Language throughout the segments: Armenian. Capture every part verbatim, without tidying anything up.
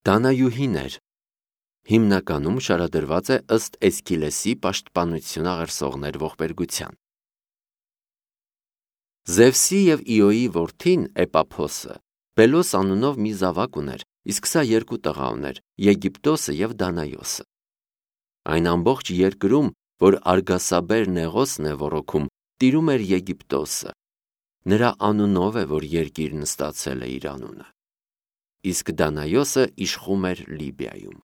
Դանայուհիներ հիմնականում շարադրված է ըստ Էսքիլեսի պաշտպանություն աղերսողներ ողբերգության։ Զևսի և Իոյի որդին Էպափոսը Պելոս անունով մի զավակ ուներ, իսկ սա երկու տղա ուներ՝ Եգիպտոսը և Դանայոսը։ Այն ամբողջ երկրում, որ արգասաբեր Նեղոսն է ոռոգում, տիրում էր Եգիպտոսը։ Նրա անունով է, որ երկիրն ստացել է իր անունը։ Իսկ Դանայոսը իշխում էր Լիբիայում։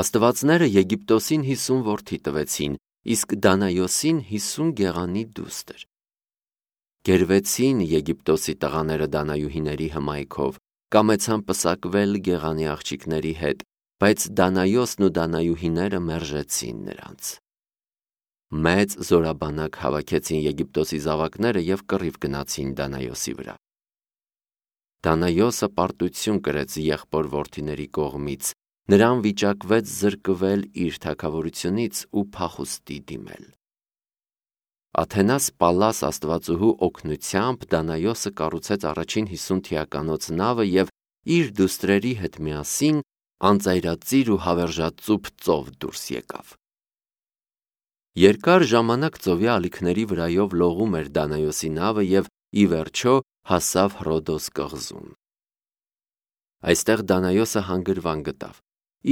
Աստվածները Եգիպտոսին հիսուն որդի տվեցին, իսկ Դանայոսին հիսուն գեղանի դուստր։ Գերվեցին Եգիպտոսի տղաները Դանայուհիների հմայքով, կամեցան պսակվել գեղանի աղջիկների հետ, բայց Դանայոսն ու Դանայուհիները մերժեցին նրանց։ Մեծ զորաբանակ հավաքեցին Եգիպտոսի զավակները և կռիվ գնացին Դանայոսի վրա։ Դանայոսը պարտություն կրեց եղբոր որդիների կողմից, նրան վիճակվեց զրկվել իր թագավորությունից ու փախուստի դիմել։ Աթենաս Պալլաս աստվածուհու օգնությամբ Դանայոսը կառուցեց առաջին հիսուն թիականոց նավը և իր դուստրերի հետ միասին անծայրածիր ու հավերժածուփ ծով դուրս եկավ։ Երկար ժամանակ ծովի ալիքների վրայով լողում էր Դանայոսի նավը և ի վերջո հասավ Հռոդոս կղզուն։ Այստեղ Դանայոսը հանգրվան գտավ։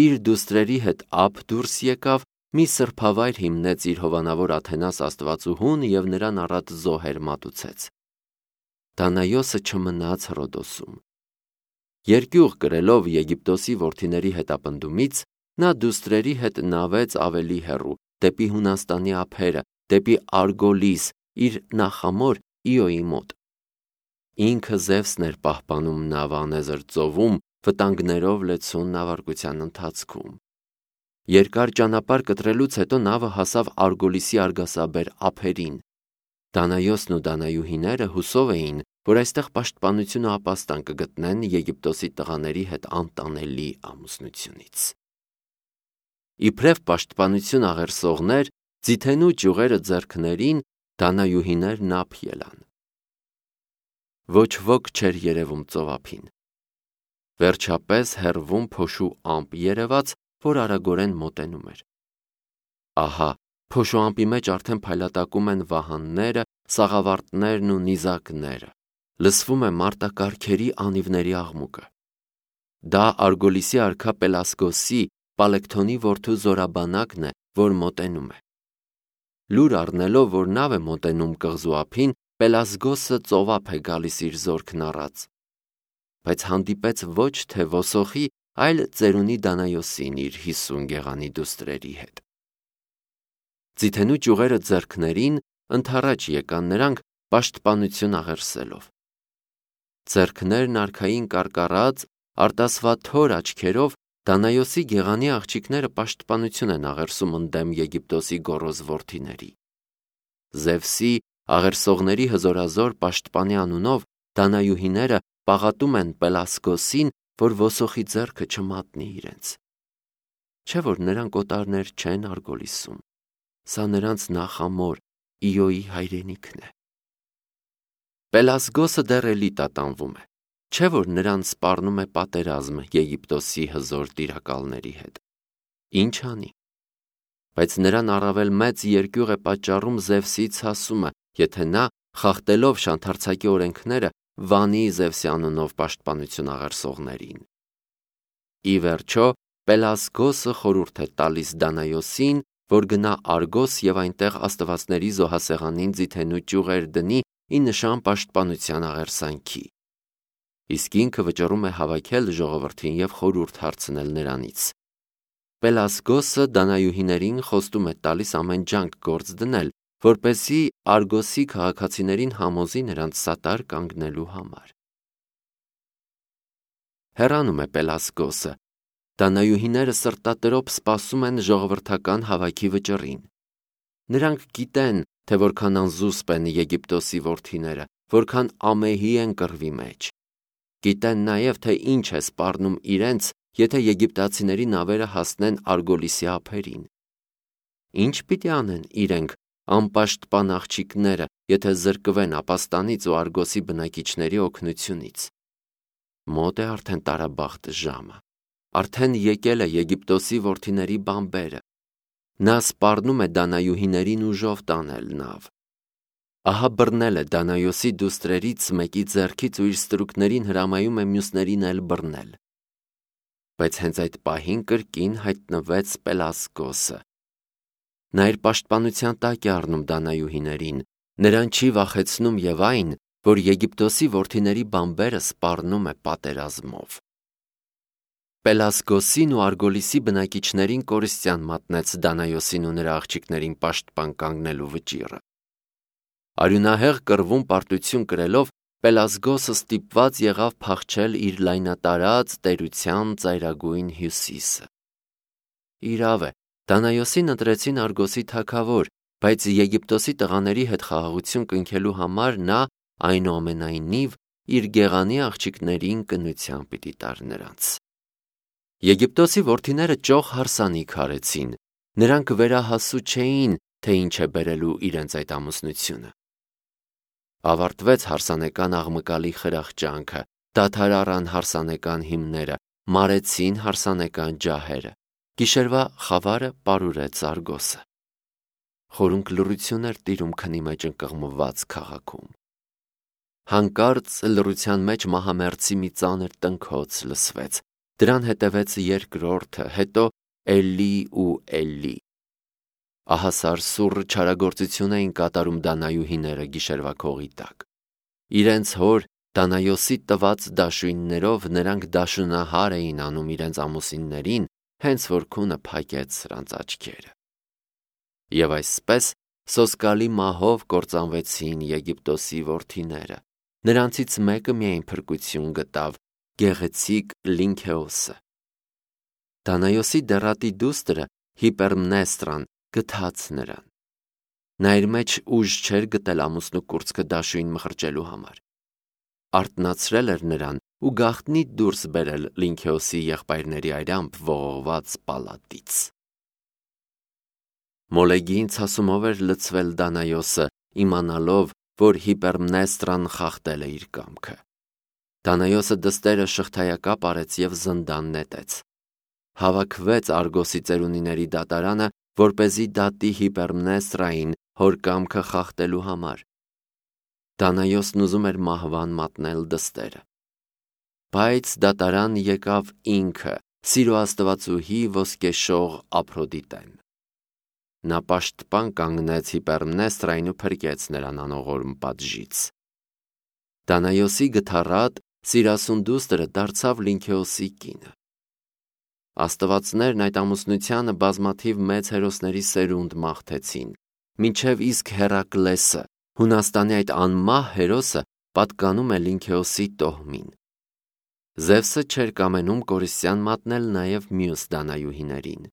Իր դուստրերի հետ ափ դուրս եկավ, մի սրբավայր հիմնեց իր հովանավոր Աթենաս աստվածուհուն և նրան առատ զոհեր մատուցեց։ Դանայոսը չմնաց Հռոդոսում։ Երկյուղ կրելով Եգիպտոսի որդիների հետապնդումից, նա դուստրերի հետ նավեց ավելի հեռու, դեպի Հունաստանի ափերը, դեպի Արգոլիս, իր նախամոր Իոյի մոտ։ Ինքը Զևսն էր պահպանում նավը անեզր ծովում, վտանգներով լեցուն նավարկության ընթացքում։ Երկար ճանապարհ կտրելուց հետո նավը հասավ Արգոլիսի արգասաբեր ափերին։ Դանայոսն ու Դանայուհիները հուսով էին, որ այստեղ պաշտպանություն ու ապաստան կգտնեն Եգիպտոսի տղաների հետ անտանելի ամուսնությունից։ Իբրև պաշտպանություն աղերսողներ, ձիթենու ճյուղերը ձեռքներին, Դանայուհիներն ափ ելան։ Ոչ ոք չէր երևում ծովափին։ Վերջապես հեռվում փոշու ամպ երևաց, որ արագորեն մոտենում էր։ Ահա, փոշու ամպի մեջ արդեն փայլատակում են վահանները, սաղավարտներն ու նիզակները։ Լսվում է մարտակառքերի անիվների աղմուկը։ Դա Արգոլիսի արքա Պելասգոսի, Պալեկթոնի որդու զորաբանակն է, որ մոտենում է։ Լուր առնելով, որ նավ է մոտենում կղզու ափին, Պելասգոսը ծովափ է գալիս իր զորքն առած։ Բայց հանդիպեց ոչ թե ոսոխի, այլ ծերունի Դանայոսին իր հիսուն գեղանի դուստրերի հետ։ Ձիթենու ճյուղերը ձեռքներին ընդառաջ եկան նրանք պաշտպանություն աղերսելով։ Ձեռքներն արքային կարկառած, արտասվաթոր աչքերով Դանայոսի գեղանի աղջիկները պաշտպանություն են աղերսում ընդդեմ Եգիպտոսի գոռոզ որդիների։ Զևսի աղերսողների հզորազոր պաշտպանի անունով Դանայուհիները պաղատում են Պելասգոսին, որ ոսոխի ձեռքը չմատնի իրենց։ Չէ՞ որ նրանք օտարներ չեն Արգոլիսում։ Սա նրանց նախամոր Իոյի հայրենիքն է։ Պելասգոսը դեռ էլի տատանվում է։ Չէ՞ որ նրան սպառնում է պատերազմ Եգիպտոսի հզոր տիրակալների հետ։ Ինչ անի։ Բայց նրան առավել մեծ երկյուղ է պատճառում Զևսի ցասումը, եթե նա, խախտելով շանթարցակի օրենքները, վանի Զևսի անունով պաշտպանություն աղերսողներին։ Ի վերջո, Պելասգոսը խորհուրդ է տալիս Դանայոսին, որ գնա Արգոս և այնտեղ աստվածների զոհասեղանին ձիթենու ճյուղեր դնի ի նշան պաշտպանության աղերսանքի։ Իսկ ինքը վճռում է հավաքել ժողովրդին և խորհուրդ հարցնել նրանից։ Պելասգոսը Դանայուհիներին խոստում է տալիս ամեն ջանք գործ դնել, որպեսզի Արգոսի քաղաքացիներին համոզի նրանց սատար կանգնելու համար։ Հեռանում է Պելասգոսը։ Դանայուհիները սրտատրոփ սպասում են ժողովրդական հավաքի վճռին։ Նրանք գիտեն, թե որքան անզուսպ են Եգիպտոսի որդիները, որքան ամեհի են կռվի մեջ։ Գիտեն նաև, թե ինչ է սպառնում իրենց, եթե եգիպտացիների նավերը հասնեն Արգոլիսի ափերին։ Ինչ պիտի անեն իրենք, անպաշտպան աղջիկները, եթե զրկվեն ապաստանից ու Արգոսի բնակիչների օգնությունից։ Մոտ է արդեն տարաբախտ ժամը։ Արդեն եկել է Եգիպտոսի որդիների բամբերը։ Նա սպառնում է դանայուհիներին ուժով տանել նավ։ Ահա բռնել է Դանայոսի դուստրերից մեկի ձեռքից ու իր ստրուկներին հրամայում է մյուսներին էլ բռնել։ Բայց հենց այդ պահին կրկին հայտնվեց Պելասգոսը։ Նա իր պաշտպանության տակ է առնում դանայուհիներին, նրան չի վախեցնում և այն, որ Եգիպտոսի որդիների բամբերը սպառնում է պատերազմով։ Պելասգոսին ու Արգոլիսի բնակիչներին կորստյան մատնեց Դանայոսին ու նրա աղջիկներին պաշտպան կանգնելու վճիռը։ Արյունահեղ կռվում պարտություն կրելով Պելասգոսը ստիպված եղավ փախչել իր լայնատարած տերության ծայրագույն հյուսիսը։ Իրավ է, Դանայոսին ընտրեցին Արգոսի թագավոր, բայց Եգիպտոսի տղաների հետ խաղաղություն կնքելու համար նա այնուամենայնիվ իր գեղանի աղջիկներին կնության պիտի տար նրանց։ Եգիպտոսի որդիները ճոխ հարսանիք արեցին, նրանք վերահասու չէին, թե ինչ է բերելու իրենց այդ ամուսնությունը։ Ավարտվեց հարսանեկան աղմկալի խրախճանքը, դադար առան հարսանեկան հիմները, մարեցին հարսանեկան ջահերը, գիշերվա խավարը պարուրեց Արգոսը։ Խորունկ լռություն էր տիրում քնի մեջ ընկղմված քաղաքում։ Հանկարծ լռության մեջ մահամերձի մի ծանր տնքոց լսվեց, դրան հետևեց երկրորդը, հետո էլի ու էլի։ Ահա սարսուռ չարագործություն էին կատարում դանայուհիները գիշերվա քողի տակ։ Իրենց հոր Դանայոսի տված դաշույններով նրանք դաշնահար էին անում իրենց ամուսիններին, հենց որ քունը փակեց սրանց աչքերը։ Եվ այսպես սոսկալի մահով կործանվեցին Եգիպտոսի որդիները։ Նրանցից մեկը միայն փրկություն գտավ, գեղեցիկ Լինքեոսը։ Դանայոսի դեռատի դուստրը Հիպերմնեստրան գթաց նրան։ Նա իր մեջ ուժ չէր գտել ամուսնու կուրծքը դաշույն մխրճելու համար։ Արթնացրել էր նրան ու գաղտնի դուրս բերել Լինքեոսի եղբայրների այրամբ ողողված պալատից։ Մոլեգի ցասումով էր լցվել Դանայոսը, իմանալով, որ Հիպերմնեստրան խախտել է իր կամքը։ Դանայոսը դստերը շղթայակապ արեց և զնդան նետեց։ Հավաքվեց Արգոսի ծերունիների դատարանը, որպեսզի դատի Հիպերմնեստրային հոր կամքը խախտելու համար։ Դանայոսն ուզում էր մահվան մատնել դստերը։ Բայց դատարան եկավ ինքը, Սիրո աստվածուհի ոսկեշող Ափրոդիտեն։ Նա պաշտպան կանգնեց Հիպերմնեստրային ու փրկեց նրան անողորմ պատժից։ Դանայոսի գթառատ սիրասուն դուստրը դարձավ Լինքեոսի կինը։ Աստվածներն այդ ամուսնությանը բազմաթիվ մեծ հերոսների սերունդ մաղթեցին, մինչև իսկ Հերակլեսը, Հունաստանի այդ անմահ հերոսը, պատկանում է Լինքեոսի տոհմին։ Զևսը չէր կամենում կորստյան մատնել նաև մյուս դանայուհիներին։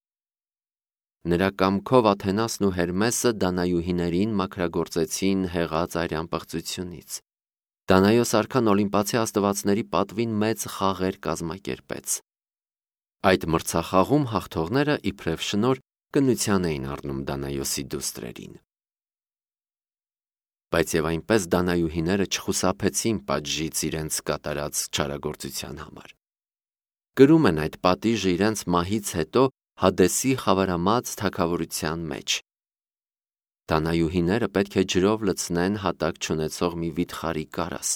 Նրա կամքով Աթենասն ու Հերմեսը դանայուհիներին մաքրագործեցին հեղած արյան պղծությունից։ Դանայոս արքան Օլիմպացի աստվածների պատվին մեծ խաղեր կազմակերպեց։ Այդ մրցախաղում հաղթողները իբրև շնորհ կնության էին առնում Դանայոսի դուստրերին։ Բայց եւ այնպես դանայուհիները չխուսափեցին պատժից իրենց կատարած չարագործության համար։ Կրում են այդ պատիժը իրենց մահից հետո Հադեսի խավարամած թագավորության մեջ։ Դանայուհիները պետք է ջրով լցնեն հատակ չունեցող մի վիթխարի կարաս։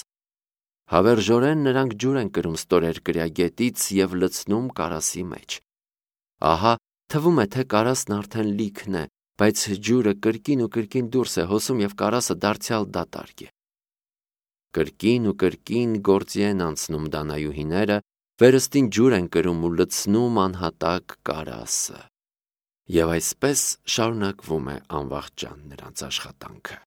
Հավերժորեն նրանք ջուր են կրում ստորերկրյա գետից և լցնում կարասի մեջ։ Ահա, թվում է, թե կարասն արդեն լիքն է, բայց ջուրը կրկին ու կրկին դուրս է հոսում և կարասը դարձյալ դատարկ է։ Կրկին ու կրկին գործի են անցնում դանայուհիները, վերստին ջուր են կրում ու լցնում անհատակ կարասը։ Եվ այսպես շարունակվում է անվախճան նրանց աշխատանքը։